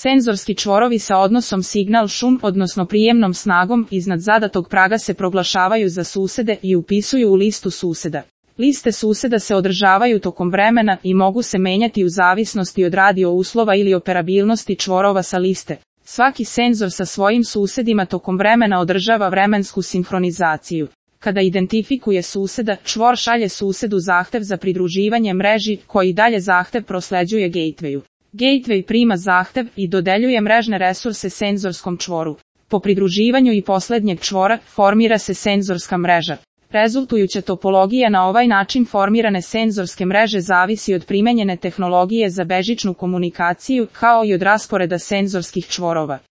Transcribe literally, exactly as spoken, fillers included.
Senzorski čvorovi sa odnosom signal-šum, odnosno prijemnom snagom, iznad zadatog praga se proglašavaju za susede i upisuju u listu suseda. Liste suseda se održavaju tokom vremena i mogu se menjati u zavisnosti od radio uslova ili operabilnosti čvorova sa liste. Svaki senzor sa svojim susedima tokom vremena održava vremensku sinhronizaciju. Kada identifikuje suseda, čvor šalje susedu zahtev za pridruživanje mreži, koji dalje zahtev prosleđuje gatewayu. Gateway prima zahtev i dodeljuje mrežne resurse senzorskom čvoru. Po pridruživanju i poslednjeg čvora, formira se senzorska mreža. Rezultujuća topologija na ovaj način formirane senzorske mreže zavisi od primenjene tehnologije za bežičnu komunikaciju, kao i od rasporeda senzorskih čvorova.